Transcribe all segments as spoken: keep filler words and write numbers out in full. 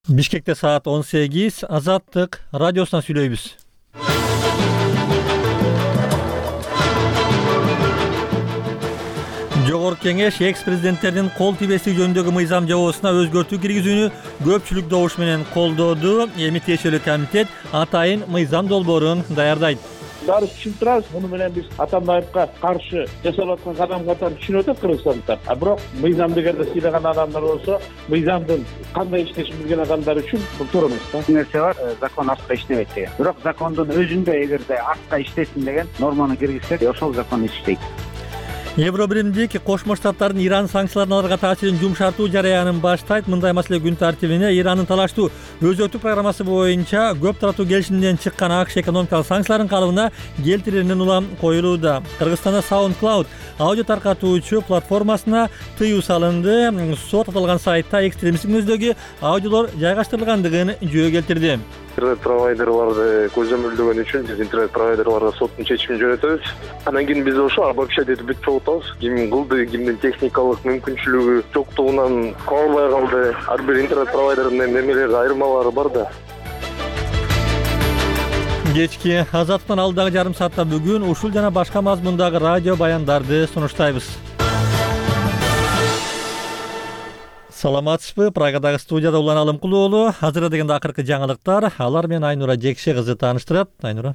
Бишкекте саат он сегиз. Азаттык радиосунан сүйлөйбүз. Жогорку Кеңеш экс-президенттердин кол тибестиги жөнүндөгү мыйзам жобосуна өзгөртүү киргизүүнү көпчүлүк добуш менен колдоду. Эми тиешелүү комитет атайын мыйзам долбоорун даярдайт. Баары түшүнүп турабыз. Муну менен биз Атамбаевка каршы жасалып аткан кадам катары түшүнүп атат кыргызстандыктар. А бирок мыйзамды эгерде сыйлаган адамдар болсо, мыйзамдын кандай иштешин билген адамдар үчүн бул туура эмес да. Нерсе бар, закон артка иштебейт деген. Бирок закондун өзүндө эгерде артка иштесин деген норманы киргизсек, ошол закон иштейт. Евробиримдик Кошмо Штаттардын Иран санкцияларын аларга таасирин жумшартуу жараянын баштайт. Мындай маселе күн тартибине Ирандын талаштуу өзөктүк программасы боюнча көп тараптуу келишимден чыккан АКШ экономикалык санкцияларын калыбына келтирүүнүн улам коюлууда. Кыргызстанда SoundCloud аудио таркатуучу платформасына тыюу салынды. Сот аталган сайтта экстремисттик мүнөздөгү аудиолор жайгаштырылгандыгын жөө келтирди. Интернет провайдерларды көзөмөлдөгөн үчүн биз интернет провайдерларга соттун чечимин жөнөтөбүз. Анан кийин биз ошо обобщать этип бүтүп чогултабыз. Ким кылды, кимдин техникалык мүмкүнчүлүгү жоктугунан кабылбай калды. Ар бир интернет провайдердин немелери айырмалары бар да. Кечки Азаттын алдагы жарым саатта бүгүн ушул жана башка мазмундагы радио баяндарды сунуштайбыз. Саламатсызбы? Прагадагы студияда Улан Алымкулуу уулу. Азыр дегенде акыркы жаңылыктар. Алар менен Айнура Жекше кызы тааныштырат. Айнура.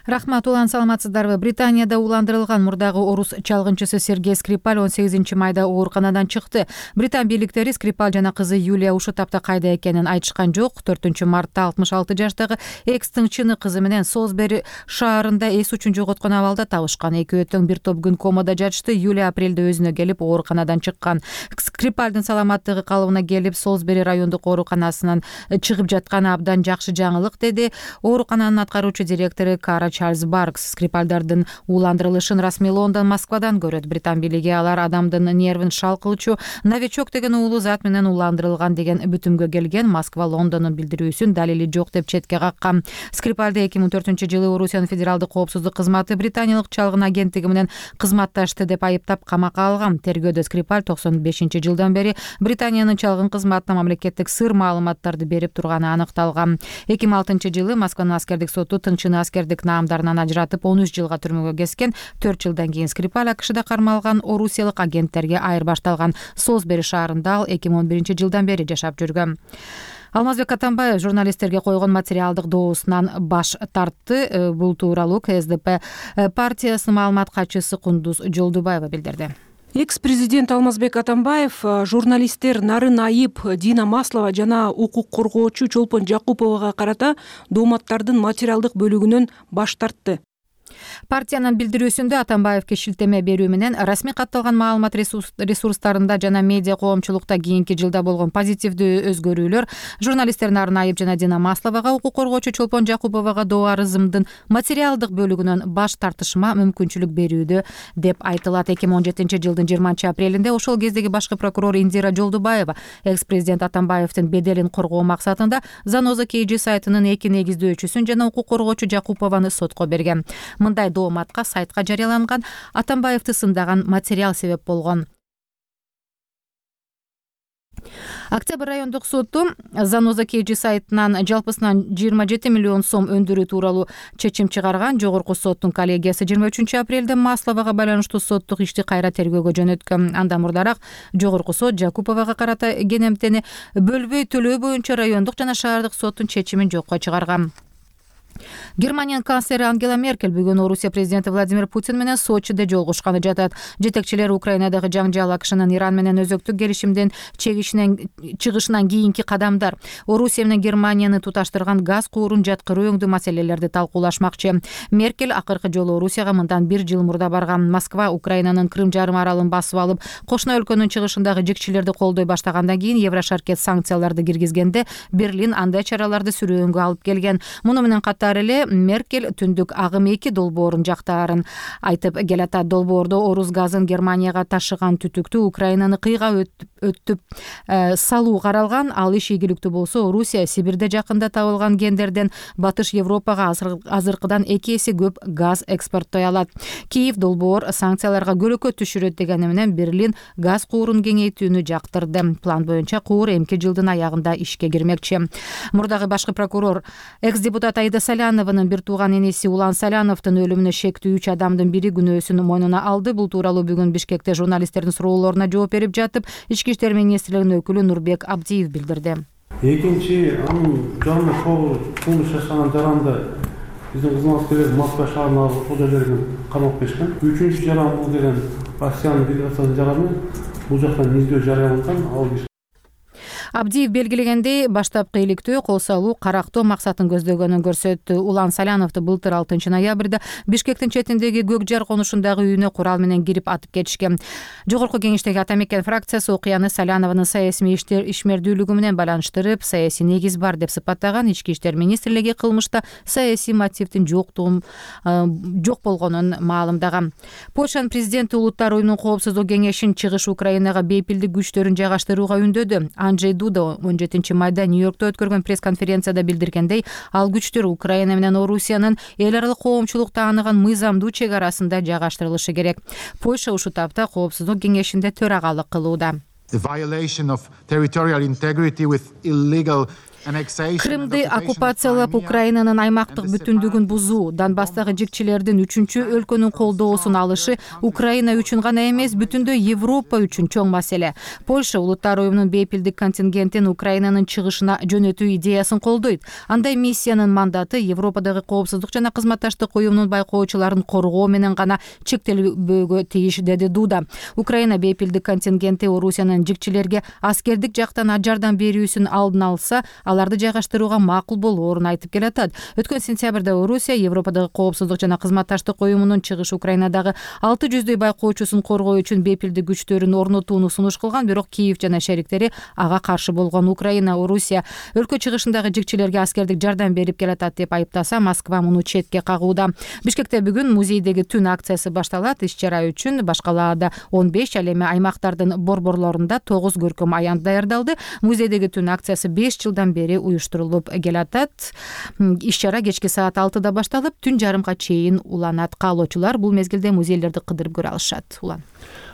Рахмат. Улан, саламатсыздарбы? Британияда уландырылган мурдагы орус чалгынчысы Сергей Скрипаль он сегизинчи майда ооруканадан чыкты. Британ бийликтери Скрипаль жана кызы Юлия ушул тапта кайда экенин айтышкан жок. төртүнчү мартта алтымыш алты жаштагы экс-тыңчыны кызы менен Солсбери шаарында эс учун жоготкон абалда табышкан. Экөө тең бир топ күн комада жатышты. Юлия апрелде өзүнө келип ооруканадан чыккан. Скрипальдын саламаттыгы калыбына келип, Солсбери райондук ооруканасынан чыгып жатканы абдан жакшы жаңылык, деди оорукананын аткаруучу директору Кара Чарльз Баркс. Скрипальдардын уландырылышын расмий Лондон, Москвадан көрөт. Британ бийлиги алар адамдын нервин шал кылчу новичок деген уулу зат менен уландырылган деген бүтүмгө келген. Москва Лондондун билдирүүсүн далили жок деп четке каккан. Скрипальды эки миң төртүнчү жылы Орусиянын федералдык коопсуздук кызматы британиялык чалгын агенттиги менен кызматташты деп айыптап камакка алган. Тергөөдө Скрипаль токсон бешинчи жылдан бери Британиянын чалгын кызматына мамлекеттик сыр маалыматтарды берип турганы аныкталган. эки миң алтынчы жылы Москванын аскердик соту тыңчыны аскердик наамдарынан ажыратып он үч жылга түрмөгө кескен. төрт жылдан кийин Скрипаль АКШда кармалган орусиялык агенттерге айырбашталган. Солсбери шаарында ал эки миң он биринчи жылдан бери жашап жүргөн. Алмазбек Атамбаев журналисттерге койгон материалдык доосунан баш тартты. Бул тууралуу КСДП партиясынын маалымат катчысы Кундуз Жолдубаева билдирди. Экс-президент Алмазбек Атамбаев журналисттер Нарын Айып, Дина Маслова жана укук коргоочу Чолпон Жакуповага карата дооматтардын материалдык бөлүгүнөн баш тартты. Партиянын билдирүүсүндө Атамбаевке шилтеме берүү менен расмий катталган маалымат ресурстарында жана медиа коомчулукта кийинки жылда болгон позитивдүү өзгөрүүлөр, журналисттер Нарын Айып жана Дина Масловага, укук коргоочу Чолпон Жакуповага доо арызымдын материалдык бөлүгүнөн баш тартышыма мүмкүнчүлүк берүүдө деп айтылат. эки миң он жетинчи жылдын жыйырманчы апрелинде ошол кездеги башкы прокурор Индира Жолдубаева экс-президент Атамбаевдин беделин коргоо максатында Заноза Кейджи сайтынын эки негиздөөчүсүн жана укук коргоочу Жакупованы сотко берген. Мындай дооматка сайтка жарыяланган Атамбаевди сындаган материал себеп болгон. Октябрь райондук соту Заноза Кейджи сайтынан жалпысынан жыйырма жети миллион сом өндүрүү тууралуу чечим чыгарган. Жогорку соттун коллегиясы жыйырма үчүнчү апрелде Масловага байланыштуу соттук ишти кайра тергөөгө жөнөткөн. Андан мурдараак жогорку сот Жакуповага карата кенемтени бөлбөй төлөө боюнча райондук жана шаардык соттун чечимин жокко чыгарган. Германиянын канцлери Ангела Меркель бүгүн Орусия президенти Владимир Путин менен Сочиде жолугушканы жатат. Жетекчилер Украинадагы жаңжал, АКШнын Иран менен өзөктүк келишимден чыгышынан кийинки кадамдар, Орусия менен Германияны туташтырган газ куурун жаткыруу өңдүү маселелерди талкуулашмакчы. Меркель акыркы жолу Орусияга мындан бир жыл мурда барган. Москва Украинанын Крым жарым аралын басып алып, кошуна өлкөнүн чыгышындагы жикчилерди колдой баштагандан кийин Еврошаркет санкцияларды киргизгенде Берлин андай чараларды сүрөөнгө алып келген. Муну менен катары катары эле Меркель түндүк агым эки долбоорун жактаарын айтып келатат. Долбоордо орус газын Германияга ташыган түтүктү Украинаны кыйга өтүп салуу каралган. Ал иш ийгиликтүү болсо, Орусия Сибирде жакында табылган кендерден Батыш Европага азыркыдан эки эсе көп газ экспорттой алат. Киев долбоор санкцияларга көлөкө түшүрөт дегени менен Берлин газ куурун кеңейтүүнү жактырды. План боюнча куур эмки жылдын аягында ишке кирмекчи. Мурдагы башкы прокурор экс-депутат Аида Салянованын бир тууган энеси Улан Саляновдун өлүмүнө шектүү үч адамдын бири күнөөсүн мойнуна алды. Бул тууралуу бүгүн Бишкекте журналисттердин суроолоруна жооп берип жатып, Ички иштер министрлигинин өкүлү Нурбек Абдиев билдирди. Экинчи, анын жанына кылмыш жасаган жаранды биздин кызматкерлер Москва шаарына алып ошол жерлерге камап беришкен. Үчүнчү жаран бул деген Россиянын делегациясынын жараны. Бул жактан издөө жарыяланган. Ал Абдиев белгилегендей, баштапкы иликтөө кол салуу карактоо максатын көздөгөнүн көрсөттү. Улан Саляновду былтыр алтынчы ноябрда Бишкектин четиндеги Көк жар конушундагы үйүнө курал менен кирип атып кетишкен. Жогорку кеңештеги Ата Мекен фракциясы окуяны Салянованын саясий ишмердүүлүгү менен байланыштырып, саясий негиз бар деп сыпаттаган. Ички иштер министрлиги кылмышта саясий мотивдин жоктугун жок болгонун маалымдаган. Польшанын президенти Улуттар уюмунун коопсуздук кеңешин чыгыш Украинага бейпилдик күчтөрүн жайгаштырууга үндөдү. Анджей Дуда он жетинчи майда Нью-Йоркто өткөргөн пресс-конференцияда билдиргендей, ал күчтөр Украина менен Орусиянын эл аралык коомчулук тааныган мыйзамдуу чек арасында жайгаштырылышы керек. Польша ушул тапта коопсуздук кеңешинде төрагалык кылууда. Крымды оккупациялап Украинанын аймактык бүтүндүгүн бузуу, Донбасстагы жикчилердин үчүнчү өлкөнүн колдоосун алышы Украина үчүн гана эмес, бүтүндөй Европа үчүн чоң маселе. Польша Улуттар уюмунун бейпилдик контингентин Украинанын чыгышына жөнөтүү идеясын колдойт. Андай миссиянын мандаты Европадагы коопсуздук жана кызматташтык уюмунун байкоочуларын коргоо менен гана чектелбөөгө тийиш, деди Дуда. Украина бейпилдик контингенти Орусиянын жикчилерге аскердик жактан жардам берүүсүн алдын алса, аларды жайгаштырууга макул болоорун айтып келатат. Өткөн сентябрда Орусия Европадагы коопсуздук жана кызматташтык уюмунун чыгыш Украинадагы алты жүздөй байкоочусун коргоо үчүн бейпилдик күчтөрүн орнотууну сунуш кылган, бирок Киев жана шериктери ага каршы болгон. Украина Орусия өлкө чыгышындагы жикчилерге аскердик жардам берип келатат деп айыптаса, Москва муну четке кагууда. Бишкекте бүгүн музейдеги түн акциясы башталат. Иш-чара үчүн башкалаада он беш, ал эми аймактардын борборлорунда тогуз көркөм аян даярдалды. Музейдеги түн акциясы беш жылдан бери уюштурулуп келатат. Иш-чара кечки саат алтыда башталып, түн жарымга чейин уланат. Каалоочулар бул мезгилде музейлерди кыдырып көрө алышат. Улан.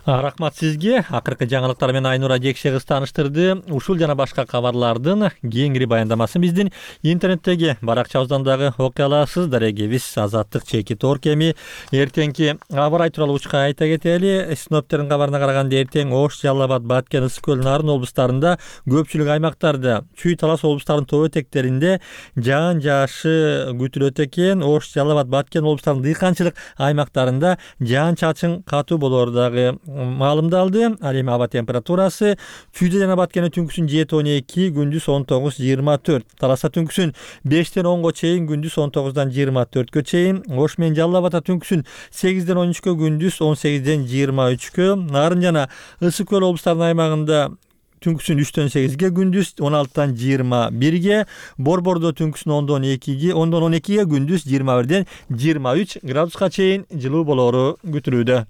Рахмат сизге. Акыркы жаңылыктар менен Айнура Жекше кыз тааныштырды. Ушул жана башка кабарлардын кеңири баяндамасын биздин интернеттеги баракчабыздан дагы окуй аласыз. Дарегебиз Азаттык чеки торкеми. Эртеңки аба ырайы тууралуу учка айта кетели. Синоптиктердин кабарына караганда эртең Ош, Жалал Абад, Баткен, Ысык көл, Нарын облустарында, көпчүлүк аймактарда, Чүй, Талас облустарынын тоо этектеринде жаан жаашы күтүлөт экен. Ош, Жалал Абад, Баткен облустарынын дыйканчылык аймактарында жаан чачын катуу болоору дагы маалымдалды. Ал эми аба температурасы Чүйдө жана Баткенде түнкүсүн жети он эки, күндүз он тогуз жыйырма төрт. Таласта түнкүсүн бештен онго чейин, күндүз он тогуздан жыйырма төрткө чейин. Ош менен Жалал Абадта түнкүсүн сегизден он үчкө, күндүз он сегизден жыйырма үчкө. Нарын жана Ысык көл облустарынын аймагында түнкүсүн үчтөн сегизге, күндүз он алтыдан жыйырма бирге. Борбордо түнкүсүн ондон экиге, ондон он экиге, күндүз жыйырма бирден жыйырма үч градуска чейин жылуу болоору күтүлүүдө.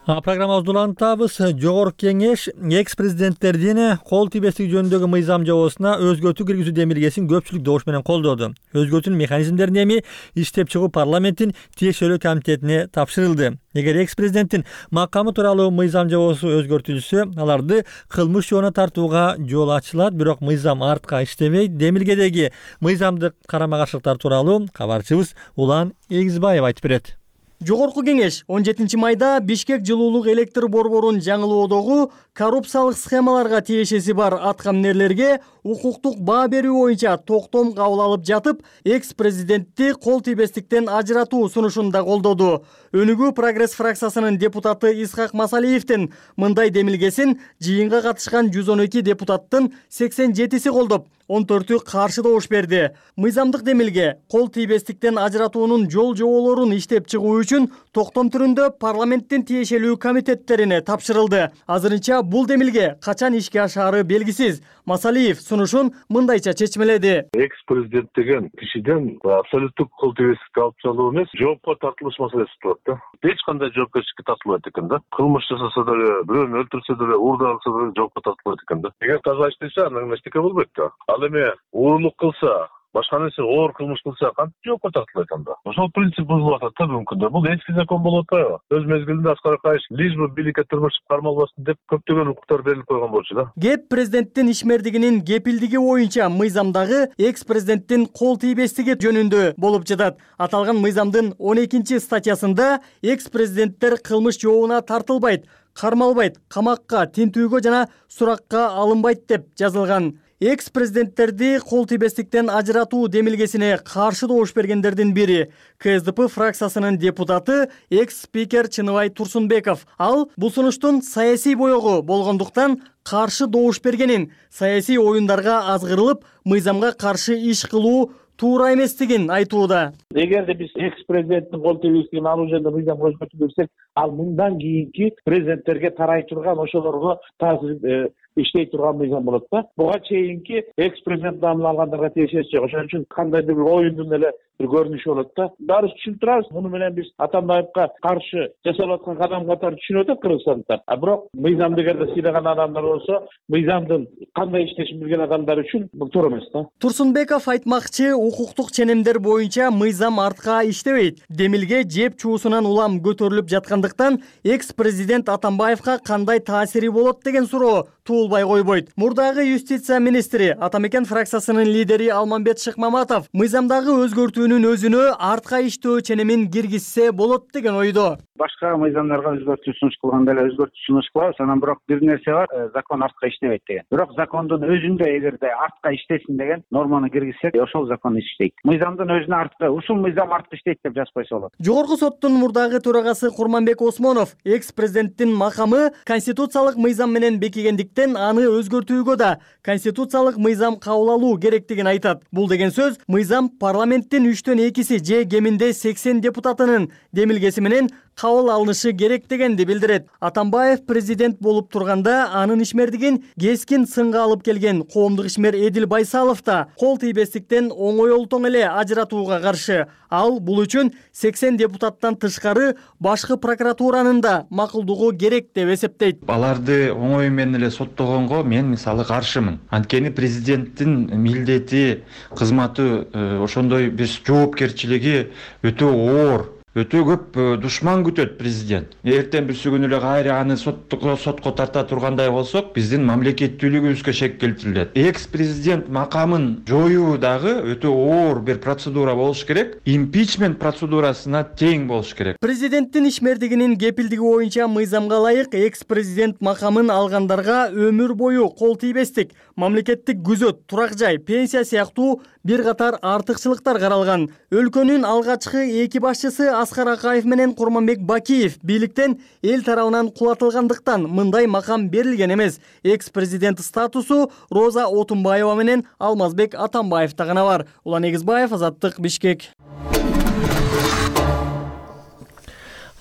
Программабызды улантабыз. Жогорку кеңеш экс-президенттердин кол тийбестиги жөнүндөгү мыйзам жобосуна өзгөртүү киргизүү демилгесин көпчүлүк добуш менен колдоду. Өзгөртүүнүн механизмдерин эми иштеп чыгуу парламенттин тиешелүү комитетине тапшырылды. Эгер экс-президенттин макамы тууралуу мыйзам жобосу өзгөртүлсө, аларды кылмыш жоона тартууга жол ачылат, бирок мыйзам артка иштебейт. Демилгедеги мыйзамдык карама-каршылыктар тууралуу кабарчыбыз Улан Эгизбаев айтып берет. Жогорку кеңеш он жетинчи майда Бишкек жылуулук электр борборун жаңылоодогу коррупциялык схемаларга тиешеси бар аткаминерлерге укуктук баа берүү боюнча токтом кабыл алып жатып, экс-президентти кол тийбестиктен ажыратуу сунушун да колдоду. Өнүгүү Прогресс фракциясынын депутаты Исхак Масалиевдин мындай демилгесин жыйынга катышкан жүз он эки депутаттын сексен жетиси колдоп, он төртү каршы добуш берди. Мыйзамдык демилге кол тийбестиктен ажыратуунун жол жоболорун иштеп чыгуу үчүн үчүн токтом түрүндө парламенттин тиешелүү комитеттерине тапшырылды. Азырынча бул демилге качан ишке ашаары белгисиз. Масалиев сунушун мындайча чечмеледи. Экс-президент деген кишиден абсолюттук кол тийбестикке алып чалуу эмес, жоопко тартылыш маселеси турат да. Эч кандай жоопкерчиликке тартылбайт экен да. Кылмыш жасаса деле, бирөөнү өлтүрсө деле, уурдаа кылса деле жоопко тартылбайт экен да. Эгер таза иштесе, анда эчтеке болбойт да. Ал эми уурулук кылса, башка нерсе оор кылмыш кылса, кантип жоопко тартылбайт анда? Ошол принцип бузулуп атат да бүгүнкү күндө. Бул эски закон болуп атпайбы? Өз мезгилинде Аскар Акаевич лишь бы бийликке тырмышып кармалбасын деп көптөгөн укуктар берилип койгон болчу да. Кеп президенттин ишмердигинин кепилдиги боюнча мыйзамдагы экс-президенттин кол тийбестиги жөнүндө болуп жатат. Аталган мыйзамдын он экинчи статьясында экс-президенттер кылмыш жообуна тартылбайт, кармалбайт, камакка, тинтүүгө жана суракка алынбайт деп жазылган. Экс-президенттерди кол тийбестиктен ажыратуу демилгесине каршы добуш бергендердин бири КСДП фракциясынын депутаты экс-спикер Чыныбай Турсунбеков. Ал бул сунуштун саясий боёгу болгондуктан каршы добуш бергенин, саясий оюндарга азгырылып, мыйзамга каршы иш кылуу туура эместигин айтууда. Эгерде биз экс-президенттин кол тийбестигин алуу жөнүндө мыйзам өзгөртүү берсек, ал мындан кийинки президенттерге тарай турган, ошолорго таасир иштей турган мыйзам болот да. Буга чейинки экс-президент наамын алгандарга тиешеси жок. Ошон үчүн кандайдыр бир оюндун эле бир көрүнүшү болот да. Баарыбыз түшүнүп турабыз. Муну менен биз Атамбаевка каршы жасалып аткан кадам катары түшүнүп атат кыргызстандыктар. А бирок мыйзамды эгерде сыйлаган адамдар болсо, мыйзамдын кандай иштешин билген адамдар үчүн бул туура эмес да. Турсунбеков айтмакчы, укуктук ченемдер боюнча мыйзам артка иштебейт. Демилге жеп чуусунан улам көтөрүлүп жаткандыктан экс-президент Атамбаевка кандай таасири болот деген суроо туулбай койбойт. Мурдагы юстиция министри, Атамекен фракциясынын лидери Алмамбет Шыкмаматов мыйзамдагы өзгөртүүнүн өзүнө артка иштөө ченемин киргизсе болот деген ойдо. Башка мыйзамдарга өзгөртүү сунуш кылганда эле өзгөртүү сунуш кылабыз, анан бирок бир нерсе бар, закон артка иштебейт деген. Бирок закондун өзүндө эгерде артка иштесин деген норманы киргизсек, ошол закон иштейт. Мыйзамдын өзүнө артка, ушул мыйзам артка иштейт деп жазып койсо болот. Жогорку соттун мурдагы төрагасы Курманбек Осмонов экс-президенттин макамы конституциялык мыйзам менен бекигендиктен аны өзгөртүүгө да конституциялык мыйзам кабыл алуу керектигин айтат. Бул деген сөз мыйзам парламенттин үчтөн экиси же кеминде сексен депутатынын демилгеси менен кабыл алынышы керек дегенди билдирет. Атамбаев президент болуп турганда анын ишмердигин кескин сынга алып келген коомдук ишмер Эдил Байсалов да кол тийбестиктен оңойлтоң эле ажыратууга каршы. Ал бул үчүн сексен депутаттан тышкары башкы прокуратуранын да макулдугу керек деп эсептейт. Аларды оңой менен эле соттогонго мен мисалы каршымын. Анткени президенттин милдети, кызматы ошондой бир жоопкерчилиги өтө оор. Өтө көп душман күтөт президент. Эртең бирси күнү эле кайра аны сотко сотко тарта тургандай болсок, биздин мамлекеттүүлүгүбүзгө шек келтирилет. Экс-президент макамын жоюу дагы өтө оор бир процедура болуш керек. Импичмент процедурасына тең болуш керек. Президенттин ишмердигинин кепилдиги боюнча мыйзамга ылайык экс-президент макамын алгандарга өмүр бою кол тийбестик, мамлекеттик күзөт, турак жай, пенсия сыяктуу бир катар артыкчылыктар каралган. Өлкөнүн алгачкы эки башчысы Аскар Акаев менен Курманбек Бакиев бийликтен эл тарабынан кулатылгандыктан мындай макам берилген эмес. Экс-президент статусу Роза Отунбаева менен Алмазбек Атамбаевда гана бар. Улан Эгизбаев, Азаттык, Бишкек.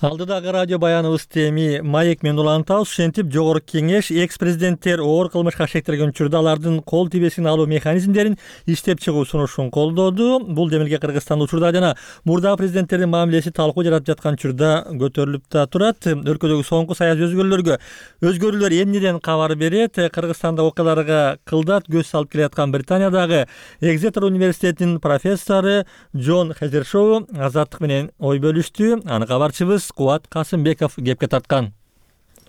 Алдыдагы радио баяныбыз теми маек менен улантабыз. Ушинтип жогорку кеңеш экс-президенттер оор кылмышка шектелген учурда алардын кол тийбестигин алуу механизмдерин иштеп чыгуу сунушун колдоду. Бул демилге Кыргызстанда учурда жана мурдагы президенттердин мамилеси талкуу жаратып жаткан учурда көтөрүлүп да турат. Өлкөдөгү соңку саясий өзгөрүүлөргө өзгөрүүлөр эмнеден кабар берет? Кыргызстанда окуяларга кылдат көз салып келаткан Британиядагы Экзетер университетинин профессору Джон Хезершоу Азаттык менен ой бөлүштү. Аны кабарчыбыз Кубат Касымбеков кепке тарткан.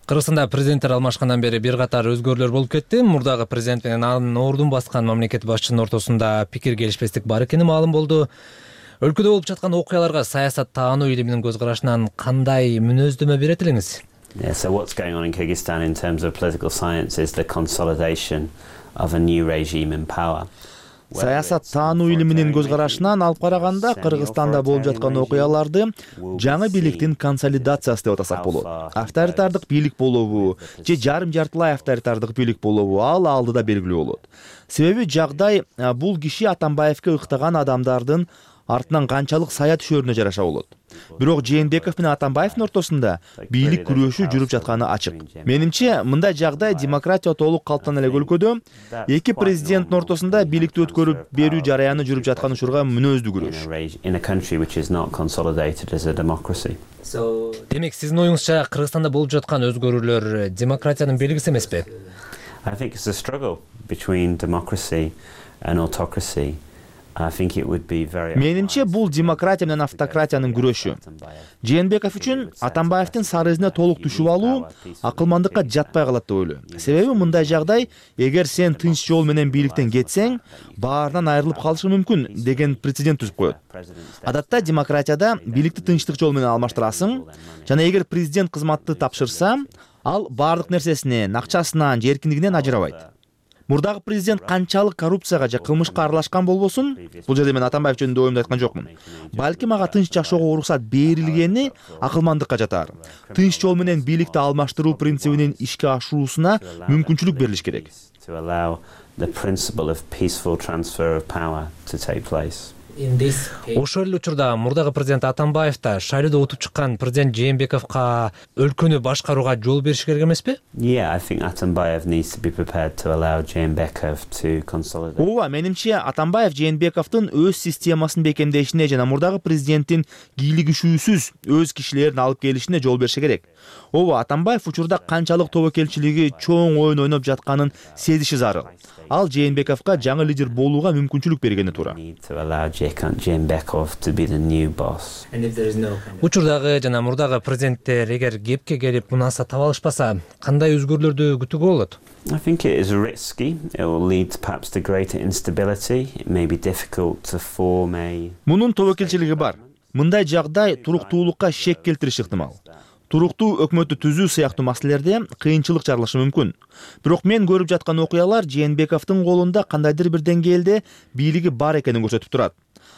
Кыргызстанда президенттер алмашкандан бери бир катар өзгөрүүлөр болуп кетти. Мурдагы президент менен анын ордун баскан мамлекет башчынын ортосунда пикир келишпестик бар экени маалым болду. Өлкөдө болуп жаткан окуяларга саясат таануу илиминин көз карашынан кандай мүнөздөмө берет элеңиз? Yeah, so what's going on in Kyrgyzstan in terms of political science is the consolidation of a new regime in power. Саясат таануу илиминин көз карашынан алып караганда Кыргызстанда болуп жаткан окуяларды жаңы бийликтин консолидациясы деп атасак болот. Авторитардык бийлик болобу же жарым жартылай авторитардык бийлик болобу ал алдыда белгилүү болот. Себеби жагдай бул киши Атамбаевке ыктаган адамдардын артынан канчалык сая түшөрүнө жараша болот. Бирок Жээнбеков менен Атамбаевдин ортосунда бийлик күрөшү жүрүп жатканы ачык. Менимче, мындай жагдай демократия толук калыптан элек өлкөдө эки президенттин ортосунда бийликти өткөрүп берүү жараяны жүрүп жаткан учурга мүнөздүү күрөш. Демек, сиздин оюңузча Кыргызстанда болуп жаткан өзгөрүүлөр демократиянын белгиси эмеспи? I think it's a struggle between democracy and autocracy. I think it would be very Менимче, бул демократия менен автократиянын күрөшү. Жээнбеков үчүн Атамбаевдин сары изине толук түшүп алуу акылмандыкка жатпай калат деп ойлойм. Себеби мындай жагдай, эгер сен тынч жол менен бийликтен кетсең, баарынан айрылып калышың мүмкүн деген прецедент түзүп коет. Адатта демократияда бийликти тынчтык жол менен алмаштырасың жана эгер президент кызматты тапшырса, ал баардык нерсесинен, акчасынан, же эркиндигинен ажырабайт. Мурдагы президент канчалык коррупцияга же кылмышка аралашкан болбосун, бул жерде мен Атамбаев жөнүндө оюмду айткан жокмун. Балким ага тынч жашоого уруксат берилгени акылмандыкка жатар. Тынч жол менен бийликти алмаштыруу принцибинин ишке ашуусуна мүмкүнчүлүк берилиш керек. Ошол эле учурда мурдагы президент Атамбаев да шайлоодо утуп чыккан президент Жээнбековго өлкөнү башкарууга жол бериш керек эмеспи? Yeah, I think Atambayev needs to be prepared to allow Jeenbekov to consolidate. Ооба, менимче Атамбаев Жээнбековдун өз системасын бекемдешине жана мурдагы президенттин кийлигишүүсүз өз кишилерин алып келишине жол бериши керек. Ооба, Атамбаев учурда канчалык тобокелчилиги чоң оюн ойноп жатканын сезиши зарыл. Ал Жээнбековго жаңы лидер болууга мүмкүнчүлүк бергени туура. Учурдагы жана мурдагы президенттер эгер кепке келип мунаса таба алышпаса, кандай өзгөрүүлөрдү күтүүгө болот? I think it is risky. It will lead perhaps to greater instability. It may be difficult to form a Мунун тобокелчилиги бар. Мындай жагдай туруктуулукка шек келтириши ыктымал. Туруктуу өкмөттү түзүү сыяктуу маселелерде кыйынчылык жаралышы мүмкүн. Бирок мен көрүп жаткан окуялар Жээнбековдун колунда кандайдыр бир деңгээлде бийлиги бар экенин көрсөтүп турат.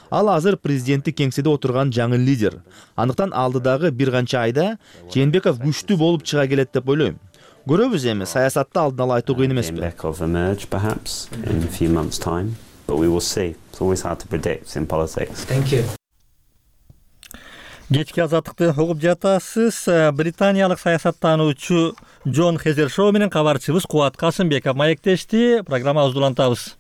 Ал азыр президенттик кеңседе отурган жаңы лидер. Андыктан алдыдагы бир канча айда Жээнбеков күчтүү болуп чыга келет деп ойлойм. Көрөбүз эми, саясатта алдын ала айтуу кыйын эмеспи. Jeenbekov emerge perhaps in a few months' time, but we will see. It's always hard to predict in politics. Thank you. Кечки азаттыкты угуп жатасыз. Британиялык саясаттануучу Джон Хезершоу менен кабарчыбыз Кубат Касымбеков маектешти. Программабызды улантабыз.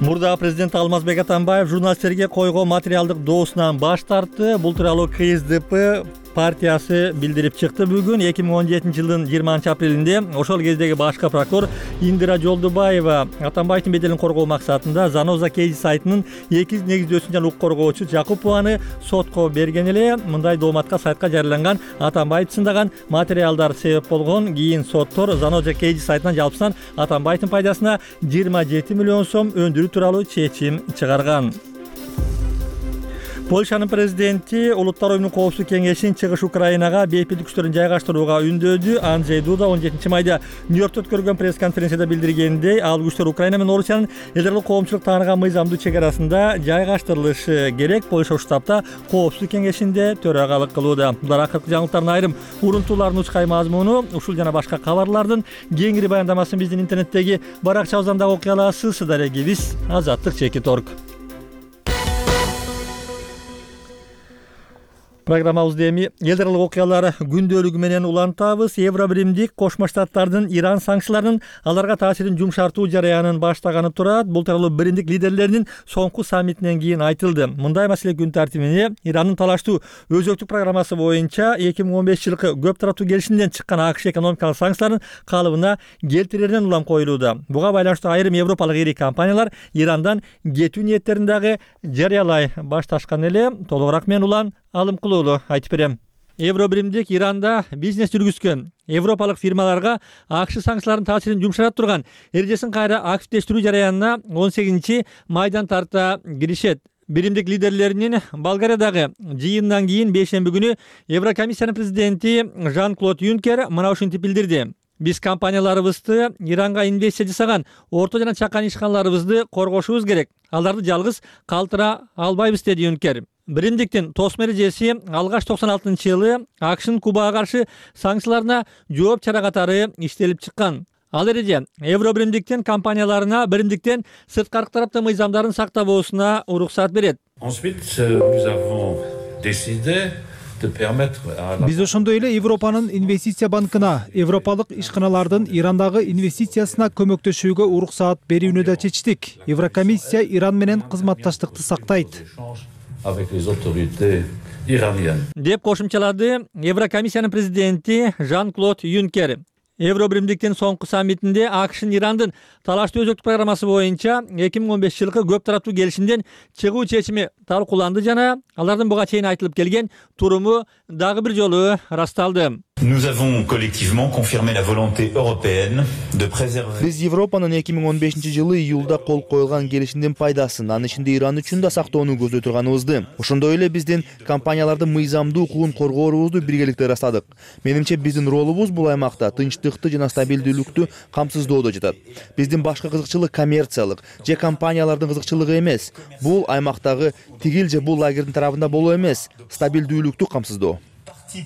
Мурдагы президент Алмазбек Атамбаев журналисттерге койгон материалдык доосунан баш тартты. Бул тууралуу КСДП партиясы билдирип чыкты бүгүн. эки миң он жетинчи жылдын жыйырманчы апрелинде ошол кездеги башкы прокурор Индира Жолдубаева Атамбаевдин беделин коргоо максатында Заноза Кейджи сайтынын эки негиздөөчүсүн жана укук коргоочу Жакупованы сотко берген эле. Мындай дооматка сайтка жарыяланган Атамбаевди сындаган материалдар себеп болгон. Кийин соттор Заноза Кейджи сайтынан жалпысынан Атамбаевдин пайдасына жыйырма жети миллион сом өндүрүү тууралуу чечим чыгарган. Польшанын президенти Улуттар оюмунун коопсуздук кеңешин чыгыш Украинага бейпилдик күчтөрүн жайгаштырууга үндөдү. Анджей Дуда он жетинчи майда Нью-Йоркто өткөрүлгөн пресс-конференцияда билдиргендей, ал күчтөр Украина менен Орусиянын элдер коомчулук тааныган мыйзамдуу чек арасында жайгаштырылышы керек. Польша ушул таапта коопсуздук кеңешинде төрагалык кылууда. Булар акыркы жаңылыктардын айрым урунтууларынын учкай мазмуну. Ушул жана башка кабарлардын кеңири баяндамасын биздин интернеттеги баракчабыздан дагы окуй аласыз. Дарегибиз азаттык чекит орг. Программабызды эми элдералык окуялар күндөлүгү менен улантабыз. Евробиримдик Кошмо Штаттардын Иран санкцияларынын аларга таасирин жумшартуу жараянын баштаганы турат. Бул тууралуу биримдик лидерлеринин соңку саммитинен кийин айтылды. Мындай маселе күн тартибине Ирандын талаштуу өзөктүк программасы боюнча эки миң он бешинчи жылкы көп тараптуу келишимден чыккан АКШ экономикалык санкцияларын калыбына келтиреринен улам коюлууда. Буга байланыштуу айрым европалык ири компаниялар Ирандан кетүү ниеттерин дагы жарыялай башташкан эле. Толугураак мен Улан Алым кылуулу айтып берем. Евробиримдик Иранда бизнес жүргүзгөн европалык фирмаларга АКШ санкцияларынын таасирин жумшата турган эрежесин кайра активдештирүү жараянына он сегизинчи майдан тарта киришет. Биримдик лидерлеринин Болгариядагы жыйынынан кийин бейшемби күнү Еврокомиссиянын президенти Жан-Клод Юнкер мына ушинтип билдирди. Биз компанияларыбызды Иранга инвестиция жасаган орто жана чакан ишканаларыбызды коргошубуз керек. Аларды жалгыз калтыра албайбыз, деди Юнкер. Биримдиктин тосмо эрежеси алгач токсон алтынчы жылы АКШнын Кубага каршы санкцияларына жооп чара катары иштелип чыккан. Ал эреже Евробиримдиктин компанияларына биримдиктен сырткары тараптын мыйзамдарын сактабоосуна уруксат берет. Ensuite, nous avons décidé Биз ошондой эле Европанын инвестиция банкына европалык ишканалардын Ирандагы инвестициясына көмөктөшүүгө уруксаат берүүнү да чечтик. Еврокомиссия Иран менен кызматташтыкты сактайт деп кошумчалады Еврокомиссиянын президенти Жан-Клод Юнкер. Евробиримдиктин соңку саммитинде АКШнын Ирандын талаштуу өзөктүк программасы боюнча эки миң он бешинчи жылкы көп тараптуу келишимден чыгуу чечими талкууланды жана алардын буга чейин айтылып келген туруму дагы бир жолу ырасталды. Nous avons collectivement confirmé la volonté européenne de préserver. Биз Европанын эки миң он бешинчи жылы июлда кол коюлган келишимдин пайдасын, анын ичинде Иран үчүн да сактоону көздөй турганыбызды, ошондой эле биздин компаниялардын мыйзамдуу укугун коргоорубузду биргеликте ырастадык. Менимче биздин ролубуз бул аймакта тынчтыкты жана стабилдүүлүктү камсыздоодо жатат. Биздин башкы кызыкчылык коммерциялык же компаниялардын кызыкчылыгы эмес. Бул аймактагы тигил же бул лагердин тарабында болуу эмес, стабилдүүлүктү камсыздоо.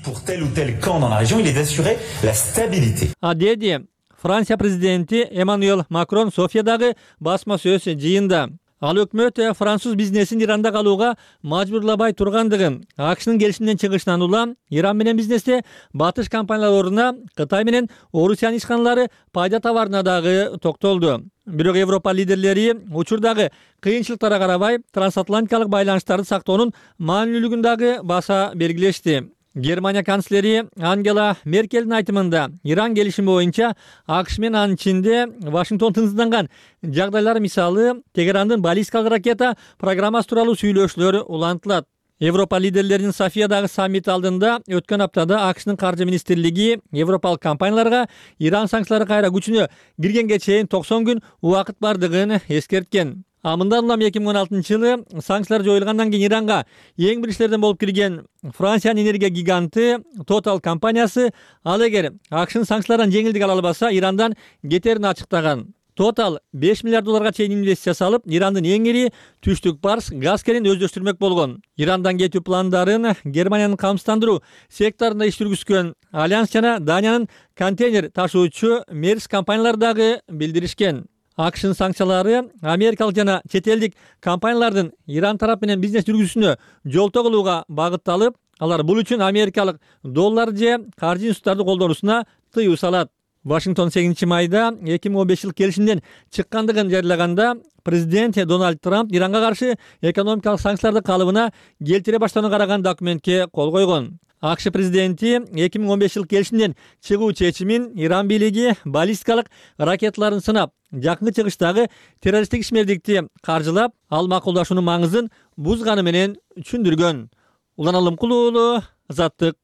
Pour tel ou tel camp dans la région, il est d'assurer la stabilité. А деди Франция президенти Эммануэль Макрон Софиядагы басма сөз жыйында. Ал өкмөт француз бизнесин Иранда калууга мажбурлабай тургандыгын, АКШнын келишимден чыгышынан улам Иран менен бизнесте батыш компаниялар ордуна Кытай менен Орусиянын ишканалары пайда табарына дагы токтолду. Бирок Европа лидерлери учурдагы кыйынчылыктарга карабай трансатлантикалык байланыштарды сактоонун маанилүүлүгүн дагы баса белгилешти. Германия канцлери Ангела Меркелдин айтымында Иран келишими боюнча АКШ менен анын ичинде Вашингтон тынчсызданган жагдайлар мисалы Тегерандын баллистикалык ракета программасы тууралуу сүйлөшүүлөр улантылат. Европа лидерлеринин Софиядагы саммит алдында өткөн аптада АКШнын каржы министрлиги европалык компанияларга Иран санкциялары кайра күчүнө киргенге чейин токсон күн убакыт бардыгын эскерткен. А мындан улам эки миң он алтынчы жылы санкциялар жоюлгандан кийин Иранга эң биринчилерден болуп кирген Франциянын энергия гиганты Total компаниясы ал эгер АКШнын санкциялардан жеңилдик ала албаса Ирандан кетерин ачыктаган. Total беш миллиард долларга чейин инвестиция салып, Ирандын эң ири түштүк барс газ керин өздөштүрмөк болгон. Ирандан кетүү пландарын Германиянын камсыздандыруу секторунда иш жүргүзгөн Альянс жана Даниянын контейнер ташуучу Мерс компаниялары дагы билдиришкен. АКШнын санкциялары америкалык жана чет элдик компаниялардын Иран тарап менен бизнес жүргүзүүсүнө жолтоо кылууга багытталып, алар бул үчүн америкалык доллар же каржы институттарды колдонуусуна тыюу салат. Вашингтон сегизинчи майда эки миң он беш жыл келишимден чыккандыгын жарыялаганда президент Дональд Трамп Иранга каршы экономикалык санкцияларды калыбына келтире баштоону караган документке кол койгон. АКШ президенти эки миң он беш жыл келишимден чыгуу чечимин Иран бийлиги баллистикалык ракеталарын сынап, жакынкы чыгыштагы террористтик ишмердикти каржылап, ал макулдашуунун маңызын бузганы менен түшүндүргөн. Улан Алымкул уулу, Азаттык.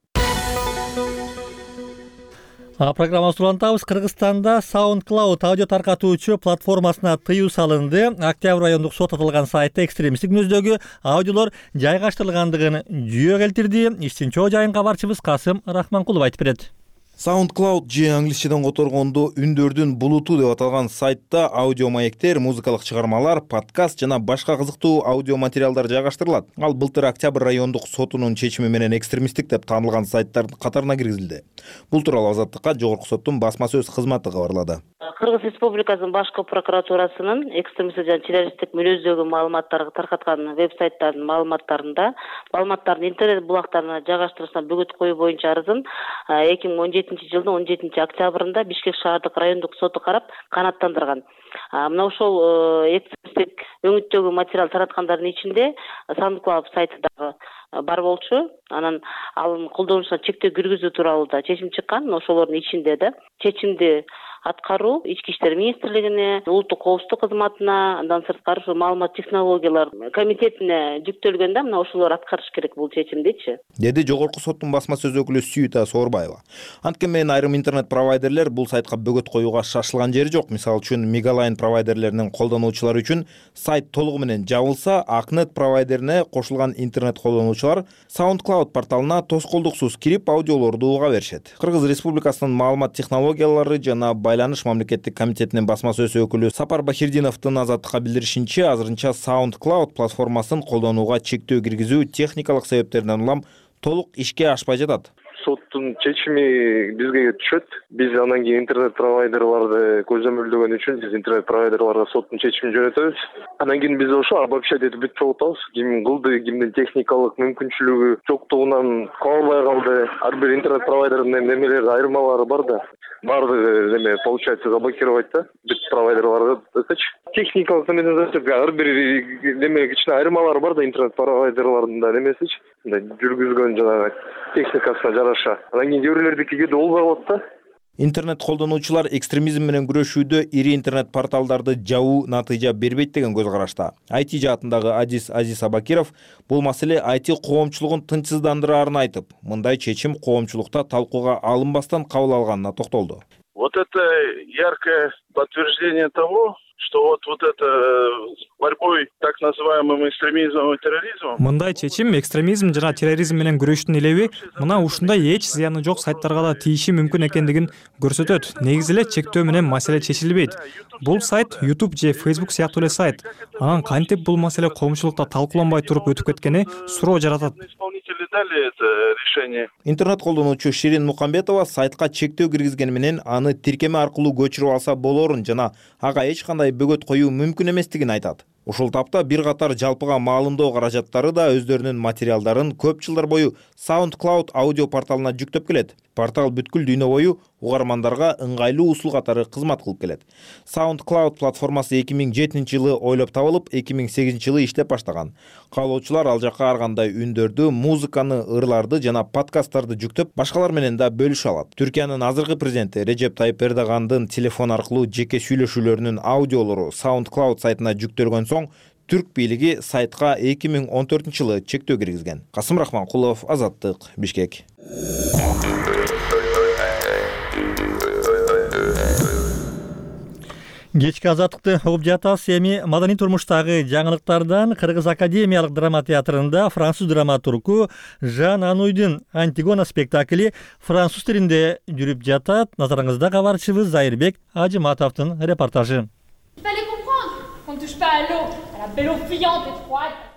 Программабызды улантабыз. Кыргызстанда SoundCloud аудио таркатуучу платформасына тыюу салынды. Октябрь райондук сот аталган сайтта экстремисттик мүнөздөгү аудиолор жайгаштырылгандыгын жүйө келтирди. Иштин чоо жайын кабарчыбыз Касым Рахманкулов айтып берет. SoundCloud же англисчеден которгондо үндөрдүн булуту деп аталган сайтта аудио маектер, музыкалык чыгармалар, подкаст жана башка кызыктуу аудио материалдар жайгаштырылат. Ал былтыр Октябрь райондук сотунун чечими менен экстремисттик деп таанылган сайттардын катарына киргизилди. Бул тууралуу Азаттыкка жогорку соттун басма сөз кызматы кабарлады. Кыргыз Республикасынын башкы прокуратурасынын экстремисттик жана террористтик мүнөздөгү маалыматтарды таркаткан веб-сайттардын маалыматтарында маалыматтардын интернет булактарына жайгаштырылышына бөгөт коюу боюнча арызын эки миң он жетинчи жылдын он жетинчи октябрында Бишкек шаардык райондук соту карап канааттандырган. Мына ошол экстремисттик өңүттөгү материал тараткандардын ичинде SoundCloud сайты дагы бар болчу. Анан анын колдонушуна чектөө киргизүү тууралуу да чечим чыккан. Ошолордун ичинде да чечимди аткаруу ички иштер министрлигине, улуттук коопсуздук кызматына, андан сырткары ушу маалымат технологиялар комитетине жүктөлгөн да, мына ошолор аткарыш керек бул чечимдичи, деди жогорку соттун басма сөз өкүлү Сүйүта Соорбаева. Анткени менен айрым интернет провайдерлер бул сайтка бөгөт коюуга шашылган жери жок. Мисалы үчүн Мегалайн провайдерлеринин колдонуучулары үчүн сайт толугу менен жабылса, Акнет провайдерине кошулган интернет колдонуучулар SoundCloud порталына тоскоолдуксуз кирип аудиолорду уга беришет. Кыргыз Республикасынын маалымат технологиялары жана байланыш мамлекеттик комитетинин басма сөз өкүлү Сапар Бахирдиновдун Азаттыкка билдиришинче, азырынча SoundCloud платформасын колдонууга чектөө киргизүү техникалык себептерден улам толук ишке ашпай жатат. соттун чечими бизге түшөт. Биз анан кийин интернет провайдерларды көзөмөлдөгөн үчүн биз интернет провайдерларга соттун чечимин жөнөтөбүз. Анан кийин биз ошо обобщать этип бүтүп чогултабыз. Ким кылды, кимдин техникалык мүмкүнчүлүгү жоктугунан кабыл албай калды. Ар бир интернет провайдердин немелери айырмалары бар да. Баардыгы неме получается заблокировать да бүт провайдерларды десечи. Техникалык немеден десек ар бир неме кичине айырмалары бар да интернет провайдерлардын да немесичи. Жүргүзгөн жанагы техникасына жараша. Анан кийин кээ бирлердики болбой калат да. Интернет колдонуучулар экстремизм менен күрөшүүдө ири интернет порталдарды жабуу натыйжа бербейт деген көз карашта. ай ти жаатындагы Азиз Азиз Абакиров бул маселе ай ти коомчулугун тынчсыздандыраарын айтып, мындай чечим коомчулукта талкууга алынбастан кабыл алганына токтолду. Вот это яркое подтверждение того, что вот, вот это борьбой так называемым экстремизмом и терроризмом. Мындай чечим экстремизм жана терроризм менен күрөштүн элеби мына ушундай эч зыяны жок сайттарга да тийиши мүмкүн экендигин көрсөтөт. Негизи эле чектөө менен маселе чечилбейт. Бул сайт YouTube же Facebook сыяктуу эле сайт. Анан кантип бул маселе коомчулукта талкууланбай туруп өтүп кеткени суроо жаратат. Интернет колдонуучу Ширин Мукамбетова сайтка чектөө киргизгени менен аны тиркеме аркылуу көчүрүп алса болорун жана ага эч кандай бөгөт коюу мүмкүн эместигин айтат. Ушул тапта бир катар жалпыга маалымдоо каражаттары да өздөрүнүн материалдарын көп жылдар бою SoundCloud аудио порталына жүктөп келет. Портал бүткүл дүйнө бою угармандарга ыңгайлуу усул катары кызмат кылып келет. SoundCloud платформасы эки миң жетинчи жылы ойлоп табылып, эки миң сегизинчи жылы иштеп баштаган. Каалоочулар ал жакка ар кандай үндөрдү, музыканы, ырларды жана подкасттарды жүктөп, башкалар менен да бөлүшө алат. Түркиянын азыркы президенти Режеп Тайып Эрдогандын телефон аркылуу жеке сүйлөшүүлөрүнүн аудиолору SoundCloud сайтына жүктөлгөн соң түрк бийлиги сайтка эки миң он төртүнчү жылы чектөө киргизген. Касым Рахманкулов, Азаттык, Бишкек. Кечки азаттыкты угуп жатасыз. Эми маданий турмуштагы жаңылыктардан Кыргыз академиялык драма театрында француз драматургу Жан Ануйдун Антигона спектакли француз тилинде жүрүп жатат. Назарыңызда кабарчыбыз Зайырбек Ажыматовдун репортажы.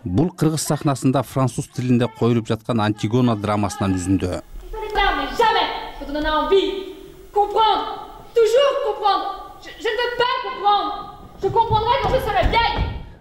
Бул кыргыз сахнасында француз тилинде коюлуп жаткан Антигона драмасынан үзүндү.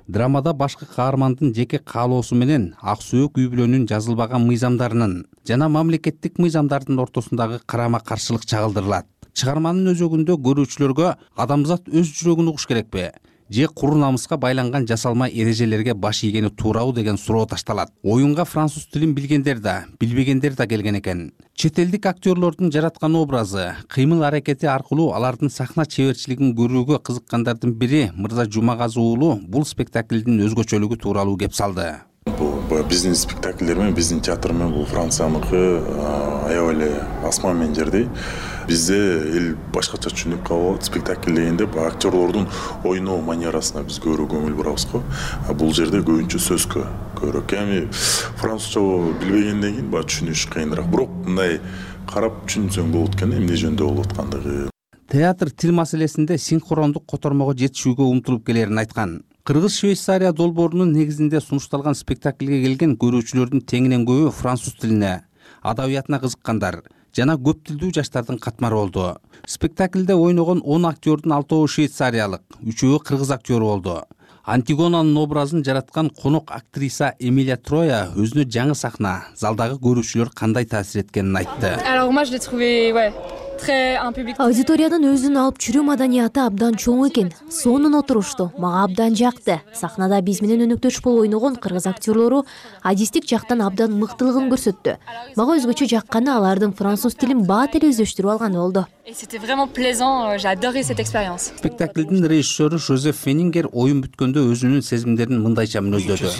Драмада башкы каармандын жеке каалоосу менен ак сөөк үй бүлөнүн жазылбаган мыйзамдарынын жана мамлекеттик мыйзамдардын ортосундагы карама каршылык чагылдырылат. Чыгарманын өзөгүндө көрүүчүлөргө адамзат өз жүрөгүн угуш керекпи же куру намыска байланган жасалма эрежелерге баш ийгени туурабы деген суроо ташталат. Оюнга француз тилин билгендер да, билбегендер да келген экен. Чет элдик актерлордун жараткан образы, кыймыл аракети аркылуу алардын сахна чеберчилигин көрүүгө кызыккандардын бири Мырза Жумагазы уулу бул спектаклдин өзгөчөлүгү тууралуу кеп салды. Бул биздин спектакльдер менен, биздин театр менен бул Францияныкы аябай эле асман менен жердей. Бизде эл башкача түшүнүп калат. Спектакль дегенде актерлордун ойноо манерасына биз көбүрөөк көңүл бурабыз го. Бул жерде көбүнчө сөзгө көбүрөөк. Эми французча билбегенден кийин баа түшүнүш кыйыныраак. Бирок мындай карап түшүнсөң болот экен, эмне жөнүндө болуп аткандыгы. Театр тил маселесинде синхрондук котормого жетишүүгө умтулуп келерин айткан. Кыргыз-Швейцария долбоорунун негизинде сунушталган спектакльге келген көрүүчүлөрдүн теңинен көбү француз тилине, адабиятына кызыккандар жана көп тилдүү жаштардын катмары болду. Спектакльде ойногон он актёрдун алтоо швейцариялык, үчөө кыргыз актёру болду. Антигонанын образын жараткан конок актриса Эмилия Троя өзүнө жаңы сахна, залдагы көрүүчүлөр кандай таасир эткенин айтты. Аудиториянын өзүн алып жүрүү маданияты абдан чоң экен. Сонун отурушту, мага абдан жакты. Сахнада биз менен өнөктөш болуп ойногон кыргыз актерлору адистик жактан абдан мыктылыгын көрсөттү. Мага өзгөчө жакканы алардын француз тилин бат эле өздөштүрүп алганы болду. Спектаклдин режиссеру Жозеф Фенингер оюн бүткөндө өзүнүн сезимдерин мындайча мүнөздөдү.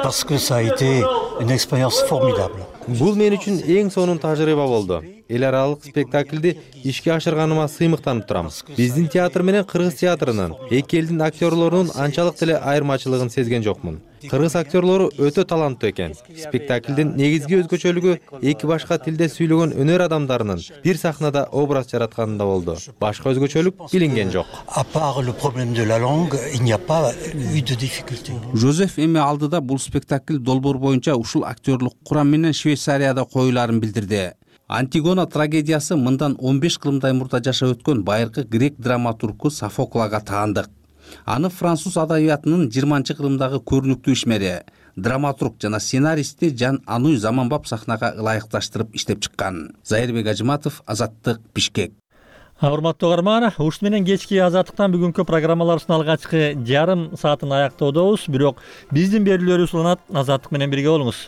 Parce que ça a été une expérience formidable. Бул мен үчүн эң сонун тажрыйба болду. Эл аралык спектакльди ишке ашырганыма сыймыктанып турам. Биздин театр менен кыргыз театрынын, эки элдин актерлорунун анчалык деле айырмачылыгын сезген жокмун. кыргыз актерлору өтө таланттуу экен. Спектаклдин негизги өзгөчөлүгү эки башка тилде сүйлөгөн өнөр адамдарынын бир сахнада образ жаратканында болду. Башка өзгөчөлүк билинген жок. À part le problème de la langue, il n'y a pas eu de difficulté. Жозеф эми алдыда бул спектакль долбоор боюнча ушул актерлук курам менен Швейцарияда коюлаарын билдирди. Антигона трагедиясы мындан он беш кылымдай мурда жашап өткөн байыркы грек драматургу Софоклага таандык. Аны француз адабиятынын жыйырманчы кылымдагы көрүнүктүү ишмери, драматург жана сценаристи Жан Ануй заманбап сахнага ылайыкташтырып иштеп чыккан. Зайырбек Ажыматов, Азаттык, Бишкек. Урматтуу угарман, ушуну менен кечки Азаттыктан бүгүнкү программаларыбыздын алгачкы жарым саатын аяктоодобуз. Бирок биздин берүүлөрүбүз уланат. Азаттык менен бирге болуңуз.